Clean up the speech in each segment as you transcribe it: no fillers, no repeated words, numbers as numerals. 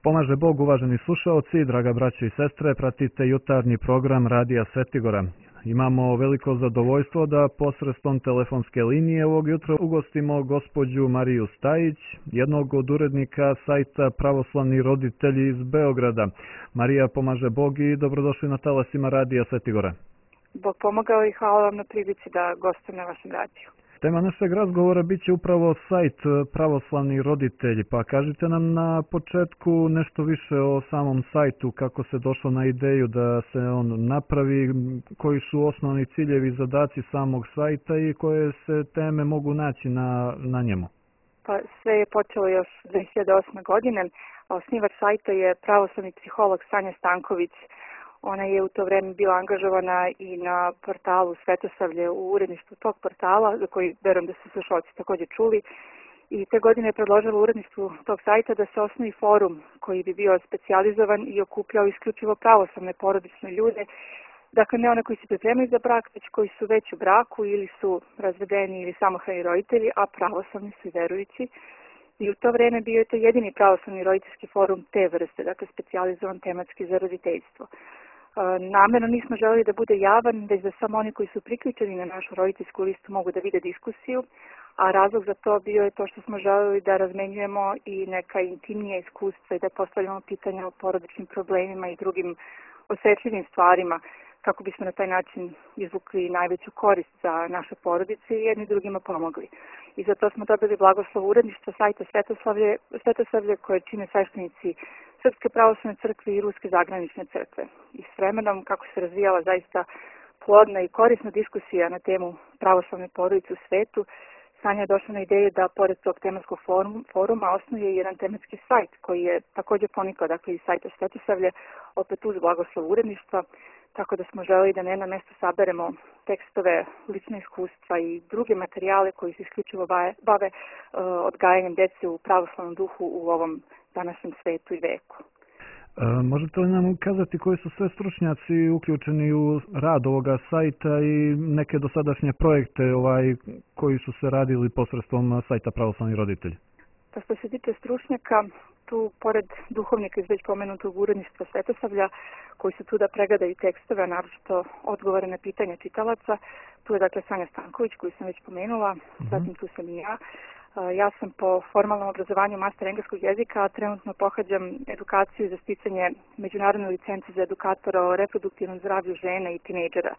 Pomaže Bog, uvaženi slušaoci, draga braćo i sestre, pratite jutarnji program Radija Svetigora. Imamo veliko zadovoljstvo da posredstvom telefonske linije ovog jutra ugostimo gospođu Mariju Stajić, jednog od urednika sajta Pravoslavni roditelji iz Beograda. Marija, pomaže Bog i dobrodošli na talasima Radija Svetigora. Bog pomogao i hvala vam na prilici da gostujem na vašem radiju. Tema našeg razgovora bit će upravo sajt Pravoslavni roditelji, pa kažite nam na početku nešto više o samom sajtu, kako se došlo na ideju da se on napravi, koji su osnovni ciljevi i zadaci samog sajta i koje se teme mogu naći na njemu. Pa sve je počelo još 2008. godine, a osnivač sajta je pravoslavni psiholog Sanja Stanković. Ona je u to vreme bila angažovana i na portalu Svetosavlje u uredništvu tog portala, za koji verujem da su slušalci također čuli. I te godine je predložila uredništvu tog sajta da se osnovi forum koji bi bio specijalizovan i okupljao isključivo pravoslavne porodične ljude. Dakle, ne one koji se pripremaju za brak, već koji su već u braku ili su razvedeni ili samohrani roditelji, a pravoslavni su i verujući. I u to vreme bio je to jedini pravoslavni roditeljski forum te vrste, dakle specijalizovan tematski za roditeljstvo. Namerno nismo želeli da bude javan, već da samo oni koji su priključeni na našu roditeljsku listu mogu da vide diskusiju, a razlog za to bio je to što smo želeli da razmenjujemo i neka intimnija iskustva i da postavljamo pitanja o porodičnim problemima i drugim osjetljivim stvarima, kako bismo na taj način izvukli najveću korist za naše porodice i jedni drugima pomogli. I zato smo dobili blagoslov uredništva sajta Svetosavlje koje čine sveštenici Srpske pravoslavne crkve i Ruske zagranične crkve. I s vremenom, kako se razvijala zaista plodna i korisna diskusija na temu pravoslavne porodice u svetu, Sanja je došla na ideju da pored tog tematskog foruma osnuje jedan tematski sajt koji je također ponikao, dakle iz sajta Svetosavlje, opet uz blagoslov uredništva, tako da smo želeli da na jedno mjesto saberemo tekstove, lične iskustva i druge materijale koji se isključivo bave odgajanjem djece u pravoslavnom duhu u ovom današnjem svetu i veku. Možete li nam kazati koji su sve stručnjaci uključeni u rad ovoga sajta i neke dosadašnje projekte koji su se radili posredstvom sajta Pravoslavni roditelji? Pa što se tiče stručnjaka, tu pored duhovnika iz već pomenutog uredništva Svetosavlja, koji su tu da pregledaju tekstove, a naročito odgovore na pitanja čitalaca, tu je dakle Sanja Stanković koju sam već pomenula, zatim tu sam i ja. Ja sam po formalnom obrazovanju master engleskog jezika, a trenutno pohađam edukaciju za sticanje međunarodne licence za edukatora o reproduktivnom zdravlju žena i tinejdžera.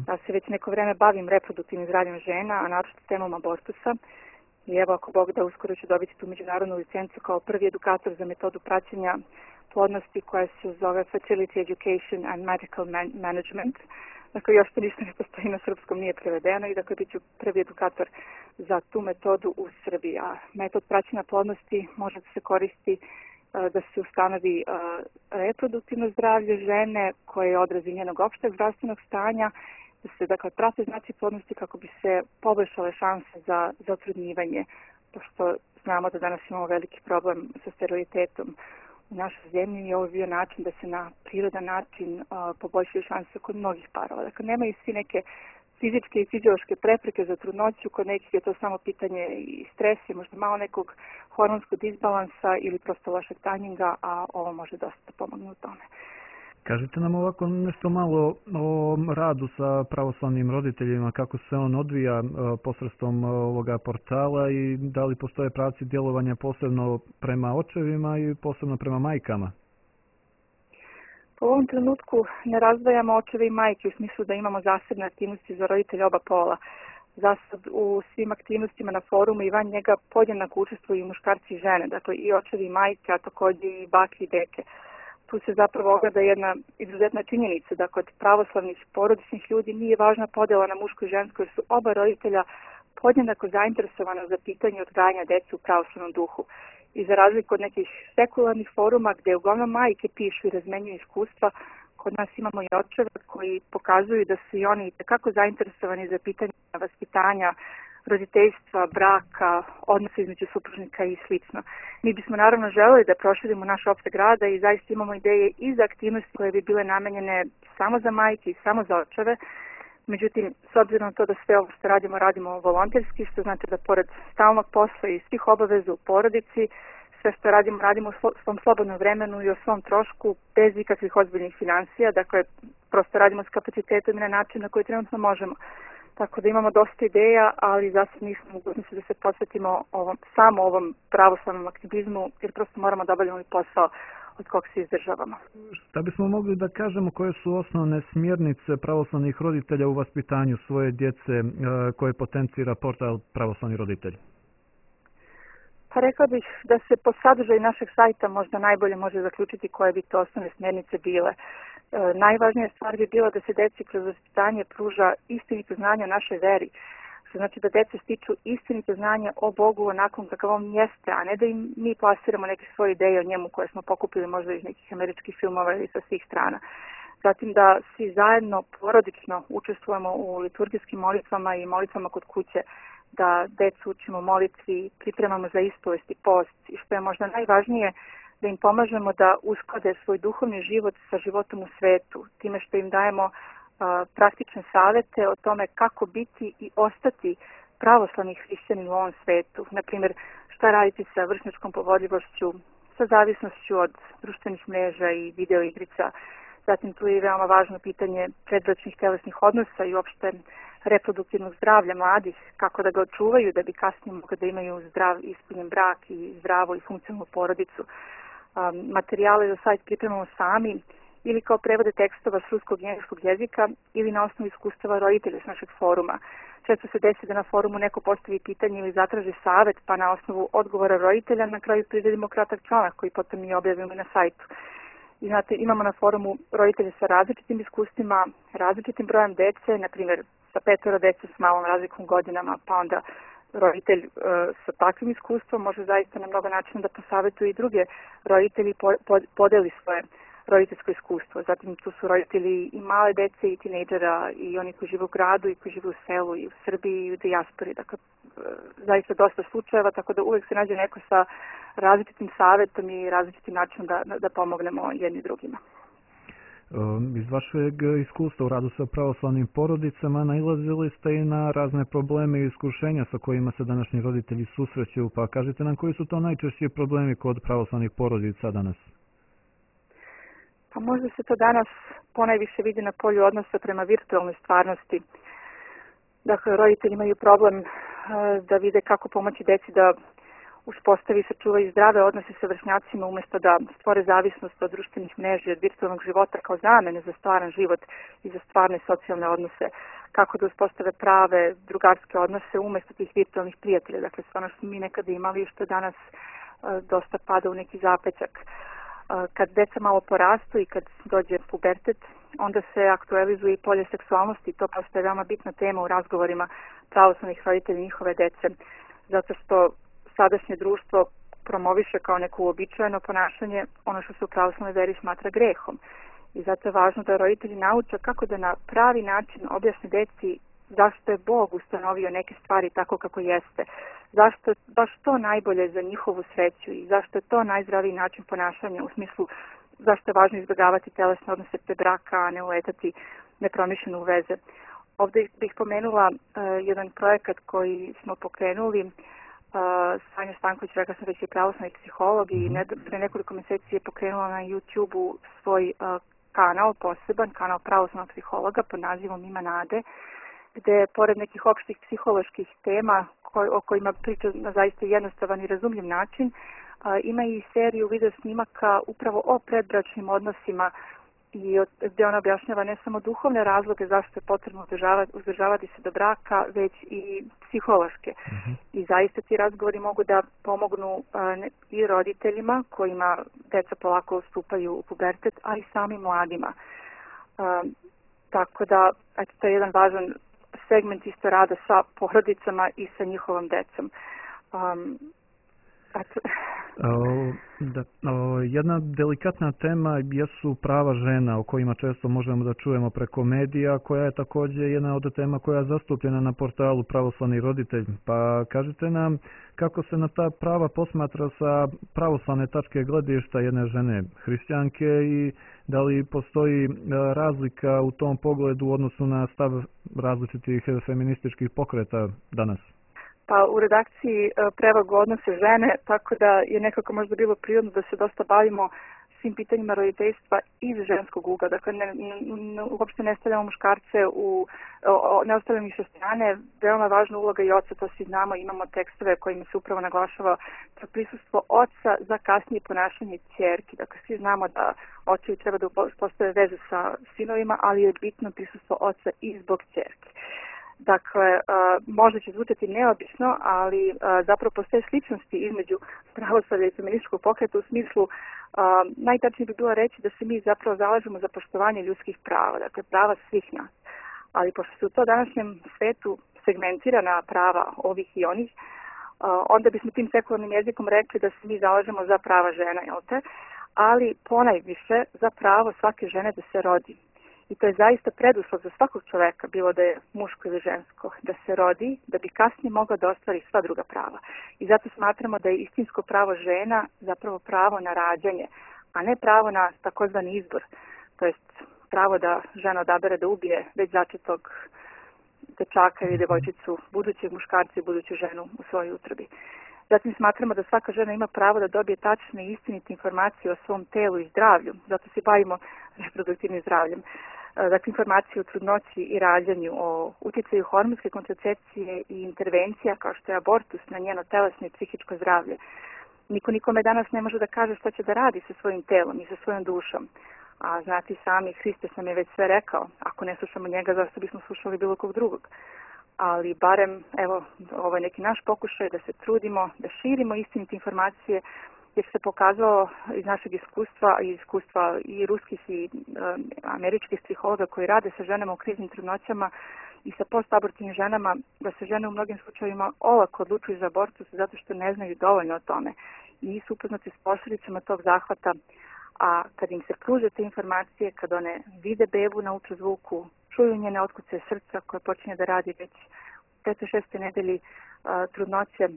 Ja se već neko vreme bavim reproduktivnim zdravljem žena, a naročito temom abortusa. I evo, ako Bog da, uskoro ću dobiti tu međunarodnu licencu kao prvi edukator za metodu praćenja plodnosti koja se zove Fertility Education and Medical Management. Dakle, još to ništa ne postoji na srpskom, nije prevedeno i dakle bit ću prvi edukator za tu metodu u Srbiji. A metod praćenja plodnosti može da se koristi da se ustanovi reproduktivno zdravlje žene koje je odraz njenog opšteg zdravstvenog stanja, da se dakle prate znaci plodnosti kako bi se poboljšale šanse za otrudnjivanje, pošto znamo da danas imamo veliki problem sa sterilitetom u našoj zemlji i ovo je bio način da se na prirodan način poboljšaju šanse kod mnogih parova. Dakle, nemaju svi neke fizičke i fiziološke prepreke za trudnoću, kod nekih je to samo pitanje i stresa, možda malo nekog hormonskog disbalansa ili prosto lošeg tajminga, a ovo može dosta pomoći u tome. Kažite nam ovako nešto malo o radu sa pravoslavnim roditeljima, kako se on odvija posredstvom ovoga portala i da li postoje pravci djelovanja posebno prema očevima i posebno prema majkama? U ovom trenutku ne razdvajamo očeve i majke u smislu da imamo zasebne aktivnosti za roditelje oba pola. Zasad u svim aktivnostima na forumu i van njega podjednako učestvuju i muškarci i žene, dakle i očevi i majke, a također i bake i deke. Tu se zapravo ogleda jedna izuzetna činjenica da kod pravoslavnih porodičnih ljudi nije važna podjela na muško i žensko jer su oba roditelja podjednako zainteresovana za pitanje odgajanja dece u pravoslavnom duhu. I za razliku od nekih sekularnih foruma gdje uglavnom majke pišu i razmenjuju iskustva, kod nas imamo i očeve koji pokazuju da su i oni itekako zainteresovani za pitanje vaspitanja, roditeljstva, braka, odnosa između supružnika i sl. Mi bismo naravno želeli da proširimo naš opseg rada i zaista imamo ideje i za aktivnosti koje bi bile namenjene samo za majke i samo za očeve. Međutim, s obzirom na to da sve ovo što radimo volonterski, što znači da pored stalnog posla i svih obaveza u porodici, sve što radimo, radimo u svom slobodnom vremenu i o svom trošku, bez ikakvih ozbiljnih financija, dakle, prosto radimo s kapacitetom i na način na koji trenutno možemo. Tako da imamo dosta ideja, ali zasad nismo mogućnosti da se posvetimo samo ovom pravoslavnom aktivizmu, jer prosto moramo da obavljamo posao od kog se izdržavamo. Šta bismo mogli da kažemo koje su osnovne smjernice pravoslavnih roditelja u vaspitanju svoje djece koje potencira portal Pravoslavni roditelj? Pa rekla bih da se po sadržaju našeg sajta možda najbolje može zaključiti koje bi to osnovne smjernice bile. Najvažnija stvar bi bila da se deci kroz vaspitanje pruža istinito znanje o našoj veri, što znači da deca stiču istinito znanje o Bogu onakvom kakav on jeste, a ne da im mi plasiramo neke svoje ideje o njemu koje smo pokupili možda iz nekih američkih filmova ili sa svih strana. Zatim da svi zajedno porodično učestvujemo u liturgijskim molitvama i molitvama kod kuće, da decu učimo molitvi, pripremamo za ispovest i post i što je možda najvažnije, da im pomažemo da usklade svoj duhovni život sa životom u svetu, time što im dajemo praktične savete o tome kako biti i ostati pravoslavni hrišćanin u ovom svetu. Naprimjer, šta raditi sa vršnjačkom povodljivošću, sa zavisnošću od društvenih mreža i video igrica. Zatim tu je veoma važno pitanje predbračnih telesnih odnosa i uopšte reproduktivnog zdravlja mladih, kako da ga očuvaju da bi kasnije mogli da imaju zdrav ispunjen brak i zdravu i funkcionalnu porodicu. Materijale za sajt pripremamo sami ili kao prevode tekstova s ruskog i engleskog jezika ili na osnovu iskustava roditelja s našeg foruma. Često se desi da na forumu neko postavi pitanje ili zatraži savet, pa na osnovu odgovora roditelja na kraju priredimo kratak članak koji potom mi objavimo na sajtu. I znate, imamo na forumu roditelje sa različitim iskustvima, različitim brojem dece, na primjer sa 5 dece s malom razlikom godinama, pa onda roditelj sa takvim iskustvom može zaista na mnogo načina da posavetuje i druge roditelji podeli svoje roditeljsko iskustvo. Zatim tu su roditelji i male dece i tinejdžera i oni koji žive u gradu i koji žive u selu i u Srbiji i u dijaspori. Dakle, zaista dosta slučajeva, tako da uvek se nađe neko sa različitim savjetom i različitim načinom da pomognemo jedni drugima. Iz vašeg iskustva u radu sa pravoslavnim porodicama nailazili ste i na razne probleme i iskušenja sa kojima se današnji roditelji susreću, pa kažite nam koji su to najčešći problemi kod pravoslavnih porodica danas? Pa možda se to danas ponajviše vidi na polju odnosa prema virtualnoj stvarnosti. Dakle, roditelji imaju problem da vide kako pomoći deci da uspostavi i sačuvaju zdrave odnose sa vršnjacima umjesto da stvore zavisnost od društvenih mreža i od virtualnog života kao zamene za stvaran život i za stvarne socijalne odnose. Kako da uspostave prave drugarske odnose umjesto tih virtualnih prijatelja. Dakle, sve ono što smo mi nekada imali i što danas dosta pada u neki zapećak. Kad deca malo porastu i kad dođe pubertet, onda se aktualizuje i polje seksualnosti. To postaje veoma bitna tema u razgovorima pravoslavnih roditelja i njihove dece. Zato što sadašnje društvo promoviše kao neko uobičajeno ponašanje ono što se u pravoslavnoj veri smatra grehom. I zato je važno da roditelji nauče kako da na pravi način objasne deci zašto je Bog ustanovio neke stvari tako kako jeste. Zašto je baš to najbolje za njihovu sreću i zašto je to najzdraviji način ponašanja u smislu zašto je važno izbjegavati telesne odnose pre braka, a ne uletati nepromišljeno u veze. Ovdje bih pomenula jedan projekat koji smo pokrenuli. Sanja Stanković, rekla sam već je pravoslavni psiholog i pre nekoliko mjeseci je pokrenula na YouTube-u svoj kanal, poseban kanal pravoslavnog psihologa pod nazivom Ima nade, gde pored nekih opštih psiholoških tema o kojima priča na zaista jednostavan i razumljiv način, ima i seriju video snimaka upravo o predbračnim odnosima i gdje ona objašnjava ne samo duhovne razloge zašto je potrebno uzdržavati se do braka, već i psihološke. I zaista ti razgovori mogu da pomognu i roditeljima kojima deca polako ustupaju u pubertet, a i samim mladima. Tako da, to je jedan važan segment isto rada sa porodicama i sa njihovom decom. Jedna delikatna tema jesu prava žena o kojima često možemo da čujemo preko medija, koja je također jedna od tema koja je zastupljena na portalu Pravoslavni roditelj. Pa kažite nam kako se na ta prava posmatra sa pravoslavne tačke gledišta jedne žene hrišćanke i da li postoji razlika u tom pogledu u odnosu na stav različitih feminističkih pokreta danas? Pa u redakciji prevagu odnose žene, tako da je nekako možda bilo prirodno da se dosta bavimo svim pitanjima roditeljstva iz ženskog ugla. Dakle, uopšte ne stavljamo muškarce ne ostavljamo ih sa strane. Veoma važna uloga i oca, to svi znamo, imamo tekstove kojima se upravo naglašava to prisustvo oca za kasnije ponašanje ćerki. Dakle, svi znamo da očevi treba da postave vezu sa sinovima, ali je bitno prisustvo oca i zbog ćerki. Dakle, možda će zvučati neobično, ali zapravo postoje sličnosti između pravoslavlja i feminističkog pokreta u smislu, najtačnije bi bilo reći da se mi zapravo zalažemo za poštovanje ljudskih prava, dakle prava svih nas. Ali pošto se u to današnjem svetu segmentirana prava ovih i onih, onda bismo tim sekularnim jezikom rekli da se mi zalažemo za prava žena, jel te? Ali ponajviše za pravo svake žene da se rodi. I to je zaista preduslov za svakog čoveka, bilo da je muško ili žensko, da se rodi, da bi kasnije mogla da ostvari sva druga prava. I zato smatramo da je istinsko pravo žena zapravo pravo na rađanje, a ne pravo na takozvani izbor. To jest pravo da žena odabere da ubije već začetog dečaka ili devojčicu, budućeg muškarca i buduću ženu u svojoj utrobi. Zatim smatramo da svaka žena ima pravo da dobije tačne i istinite informacije o svom telu i zdravlju, zato se bavimo reproduktivnim zdravljem. Dakle, informacije o trudnoći i rađanju, o utjecaju hormonske kontracepcije i intervencija kao što je abortus na njeno telesno i psihičko zdravlje. Niko nikome danas ne može da kaže šta će da radi sa svojim telom i sa svojom dušom. A znati sami, Hristos nam je već sve rekao, ako ne slušamo njega, zašto bismo slušali bilo kog drugog. Ali barem, evo, ovo je neki naš pokušaj da se trudimo, da širimo istinite informacije, jer se pokazalo iz našeg iskustva i iskustva i ruskih i američkih psihologa koji rade sa ženama u kriznim trudnoćama i sa postabortivnim ženama, da se žene u mnogim slučajevima olako odlučuju za abortus zato što ne znaju dovoljno o tome i nisu upoznati s posljedicama tog zahvata, a kad im se pruže te informacije, kad one vide bebu na ultrazvuku, čuju njene otkucaje srca koje počinje da radi već u 5. 6. nedelji trudnoće,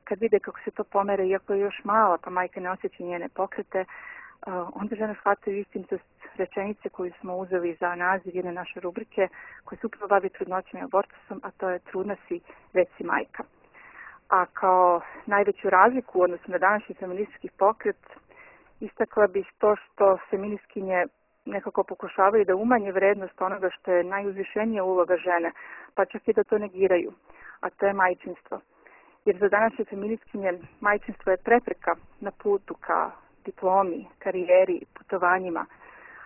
kad vide kako se to pomere, iako je još mala, pa majka ne osjeća njene pokrete, onda žene shvataju istinitost rečenice koju smo uzeli za naziv jedne naše rubrike, koja se upravo bavi trudnoćom i abortusom, a to je trudna si, već si majka. A kao najveću razliku u odnosu na današnji feministički pokret, istakla bih to što feministkinje nekako pokušavaju da umanje vrednost onoga što je najuzvišenija uloga žene, pa čak i da to negiraju, a to je majčinstvo. Jer za današnje feministkinje majčinstvo je prepreka na putu ka diplomi, karijeri, putovanjima,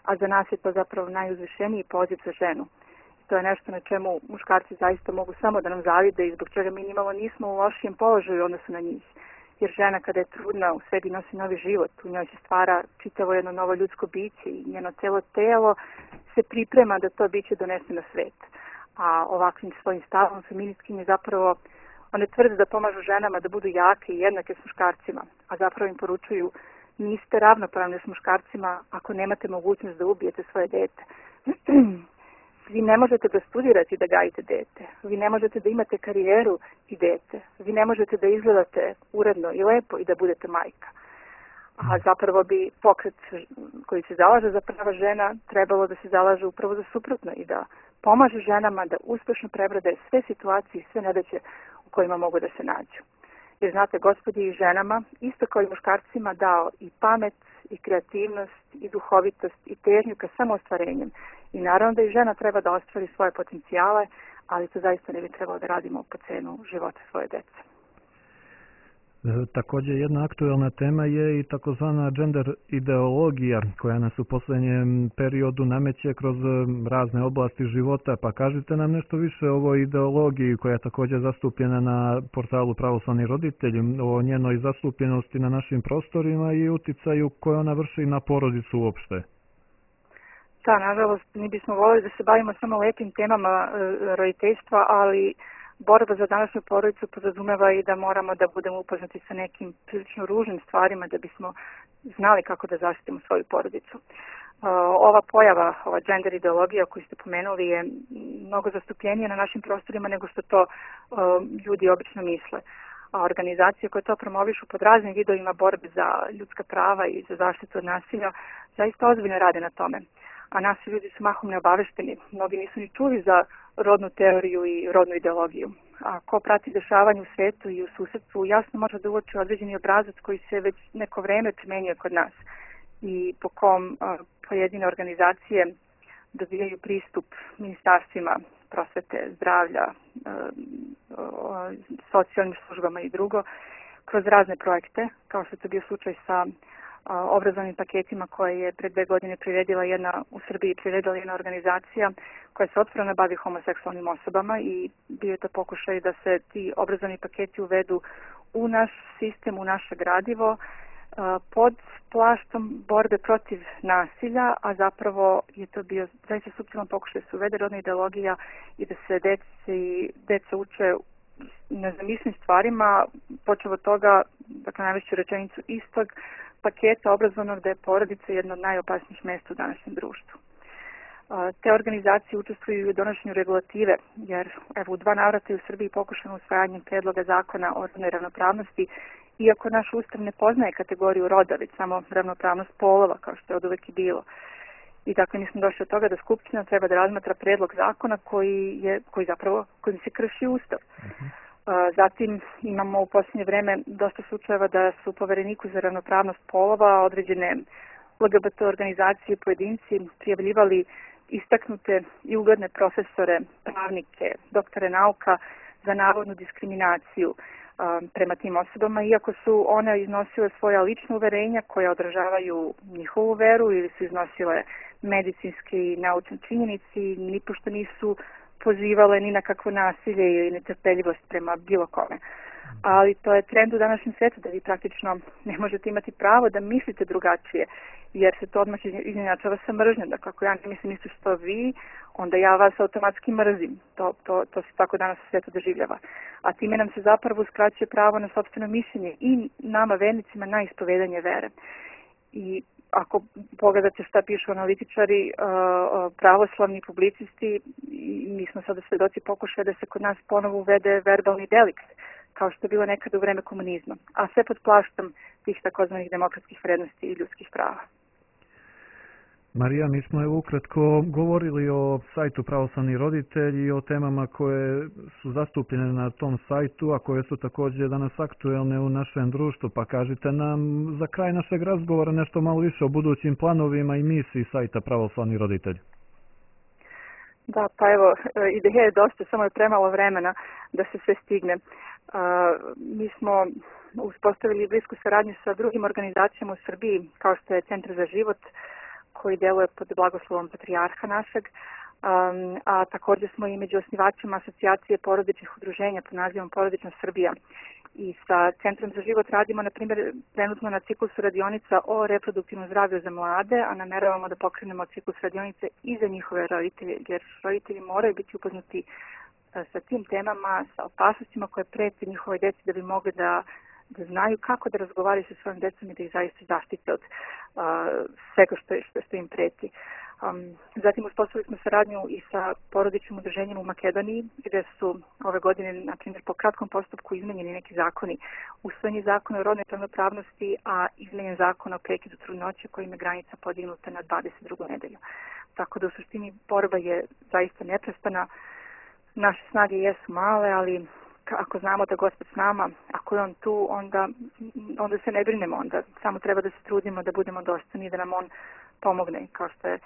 a za nas je to zapravo najuzvišeniji poziv za ženu. To je nešto na čemu muškarci zaista mogu samo da nam zavide i zbog čega mi nimalo nismo u lošijem položaju u odnosu na njih. Jer žena kada je trudna u sebi nosi novi život, u njoj se stvara čitavo jedno novo ljudsko biće i njeno celo telo se priprema da to biće donese na svet. A ovakvim svojim stavom feministkinje zapravo one tvrde da pomažu ženama da budu jake i jednake s muškarcima, a zapravo im poručuju niste ravnopravni s muškarcima ako nemate mogućnost da ubijete svoje dete. Vi ne možete da studirate i da gajite dete. Vi ne možete da imate karijeru i dete. Vi ne možete da izgledate uredno i lepo i da budete majka. A zapravo bi pokret koji se zalaže za prava žena trebalo da se zalaže upravo za suprotno i da pomaže ženama da uspešno prebrode sve situacije i sve nedaće u kojima mogu da se nađu. Jer znate, Gospod je i ženama, isto kao i muškarcima, dao i pamet, i kreativnost, i duhovitost, i težnju ka samoostvarenjem. I naravno da i žena treba da ostvari svoje potencijale, ali to zaista ne bi trebalo da radimo po cenu života svoje dece. Također jedna aktuelna tema je i takozvana gender ideologija koja nas u posljednjem periodu nameće kroz razne oblasti života. Pa kažite nam nešto više o ovoj ideologiji koja je također zastupljena na portalu Pravoslavni roditelji, o njenoj zastupljenosti na našim prostorima i uticaju koje ona vrši na porodicu uopšte. Da, nažalost, mi bismo voljeli da se bavimo samo lepim temama roditeljstva, ali borba za današnju porodicu podrazumeva i da moramo da budemo upoznati sa nekim prilično ružnim stvarima da bismo znali kako da zaštitimo svoju porodicu. Ova pojava, ova gender ideologija koju ste pomenuli je mnogo zastupljenija na našim prostorima nego što to ljudi obično misle. A organizacije koje to promovišu pod raznim vidovima borbe za ljudska prava i za zaštitu od nasilja zaista ozbiljno rade na tome. a naši ljudi su mahom neobavešteni. Mnogi nisu ni čuli za rodnu teoriju i rodnu ideologiju. A ko prati dešavanje u svetu i u susedstvu jasno može da uoči određeni obrazac koji se već neko vreme primenjuje kod nas i po kom pojedine organizacije dobijaju pristup ministarstvima prosvete, zdravlja, socijalnim službama i drugo, kroz razne projekte, kao što je to bio slučaj sa obrazovnim paketima koje je pre 2 godine u Srbiji priredila jedna organizacija koja se otvoreno bavi homoseksualnim osobama i bio je to pokušaj da se ti obrazovni paketi uvedu u naš sistem, u naše gradivo, pod plaštom borbe protiv nasilja, a zapravo je to bio zaista suptilan pokušaj da se uvede rodna ideologija i da se deca uče nezamislim stvarima, počeo od toga, dakle najveću rečenicu istog paketa obrazovnog da je porodica jedno od najopasnijih mesta u današnjem društvu. Te organizacije učestvuju u donošenju regulative, jer evo u 2 navrata je u Srbiji pokušano usvajanjem predloga zakona o rodnoj ravnopravnosti, iako naš ustav ne poznaje kategoriju roda, već samo ravnopravnost polova, kao što je od uvek i bilo. I dakle, mi smo došli od toga da Skupština treba da razmatra predlog zakona kojim se krši ustav. Zatim imamo u posljednje vreme dosta slučajeva da su Povereniku za ravnopravnost polova određene LGBT organizacije i pojedinci prijavljivali istaknute i ugledne profesore, pravnike, doktore nauka za navodnu diskriminaciju prema tim osobama, iako su one iznosile svoja lična uverenja koja odražavaju njihovu veru ili su iznosile medicinske i naučne činjenice i nipošto nisu pozivale ni na kakvo nasilje ili netrpeljivost prema bilo kome. Ali to je trend u današnjem svetu da vi praktično ne možete imati pravo da mislite drugačije, jer se to odmah izjednačava sa mržnjom. Dakle, ako ja ne mislim isto što vi, onda ja vas automatski mrzim. To se tako danas u svetu doživljava. A time nam se zapravo uskraćuje pravo na sopstveno mišljenje i nama vernicima na ispovedanje vere. I ako pogledate šta pišu analitičari, pravoslavni publicisti, mi smo sada svedoci pokušaja da se kod nas ponovo uvede verbalni delikt, kao što je bilo nekada u vreme komunizma, a sve pod plaštom tih takozvanih demokratskih vrednosti i ljudskih prava. Marija, mi smo evo ukratko govorili o sajtu Pravoslavni roditelji i o temama koje su zastupljene na tom sajtu, a koje su također danas aktuelne u našem društvu. Pa kažite nam za kraj našeg razgovora nešto malo više o budućim planovima i misiji sajta Pravoslavni roditelji. Da, pa evo, ideja je dosta, samo je premalo vremena da se sve stigne. Mi smo uspostavili blisku saradnju sa drugim organizacijama u Srbiji, kao što je Centar za život, koji deluje pod blagoslovom patrijarha našeg, a također smo i među osnivačima asocijacije porodičnih udruženja pod nazivom Porodična Srbija. I sa Centrom za život radimo, na primjer, trenutno na ciklusu radionica o reproduktivnom zdravlju za mlade, a nameravamo da pokrenemo ciklus radionice i za njihove roditelje, jer roditelji moraju biti upoznati sa tim temama, sa opasnostima koje prete njihove djeci da bi mogli da znaju kako da razgovaraju sa svojim djecom i da ih zaista zaštite od svega što im preti. Zatim uspostavili smo saradnju i sa porodičnim udruženjem u Makedoniji, gdje su ove godine, na primjer, po kratkom postupku izmenjeni neki zakoni. Usvojen je zakon o rodnoj ravnopravnosti, a izmenjen zakon o prekidu trudnoće kojim je granica podignuta na 22. nedelju. Tako da u suštini borba je zaista neprestana. Naše snage jesu male, ali ako znamo da Gospod s nama, ako je on tu, onda se ne brinemo, onda samo treba da se trudimo da budemo dostojni i da nam on pomogne, kao što je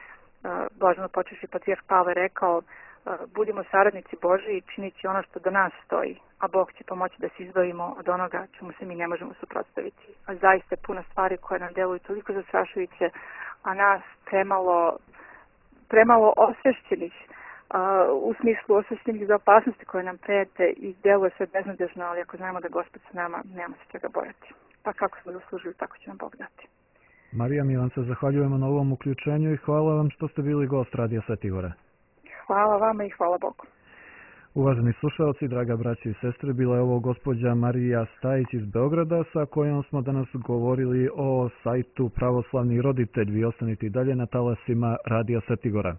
blaženo počevši patrijarh Pavle rekao, budimo saradnici Božji i činići ono što do nas stoji, a Bog će pomoći da se izbavimo od onoga čemu se mi ne možemo suprotstaviti. A zaista je puno stvari koje nam deluju toliko zastrašujuće, a nas premalo osvešćenih, u smislu osvešćenih za opasnosti koje nam prete i deluje sve beznadežno, ali ako znamo da Gospod s nama, nema se čega bojati. Pa kako smo zaslužili, tako će nam Bog dati. Marija, mi vam se zahvaljujemo na ovom uključenju i hvala vam što ste bili gost Radija Sveti Gore. Hvala vama i hvala Bogu. Uvaženi slušalci, draga braći i sestre, bila je ovo gospođa Marija Stajić iz Beograda, sa kojom smo danas govorili o sajtu Pravoslavni roditelj. Vi ostanite i dalje na talasima Radija Sveti Gora.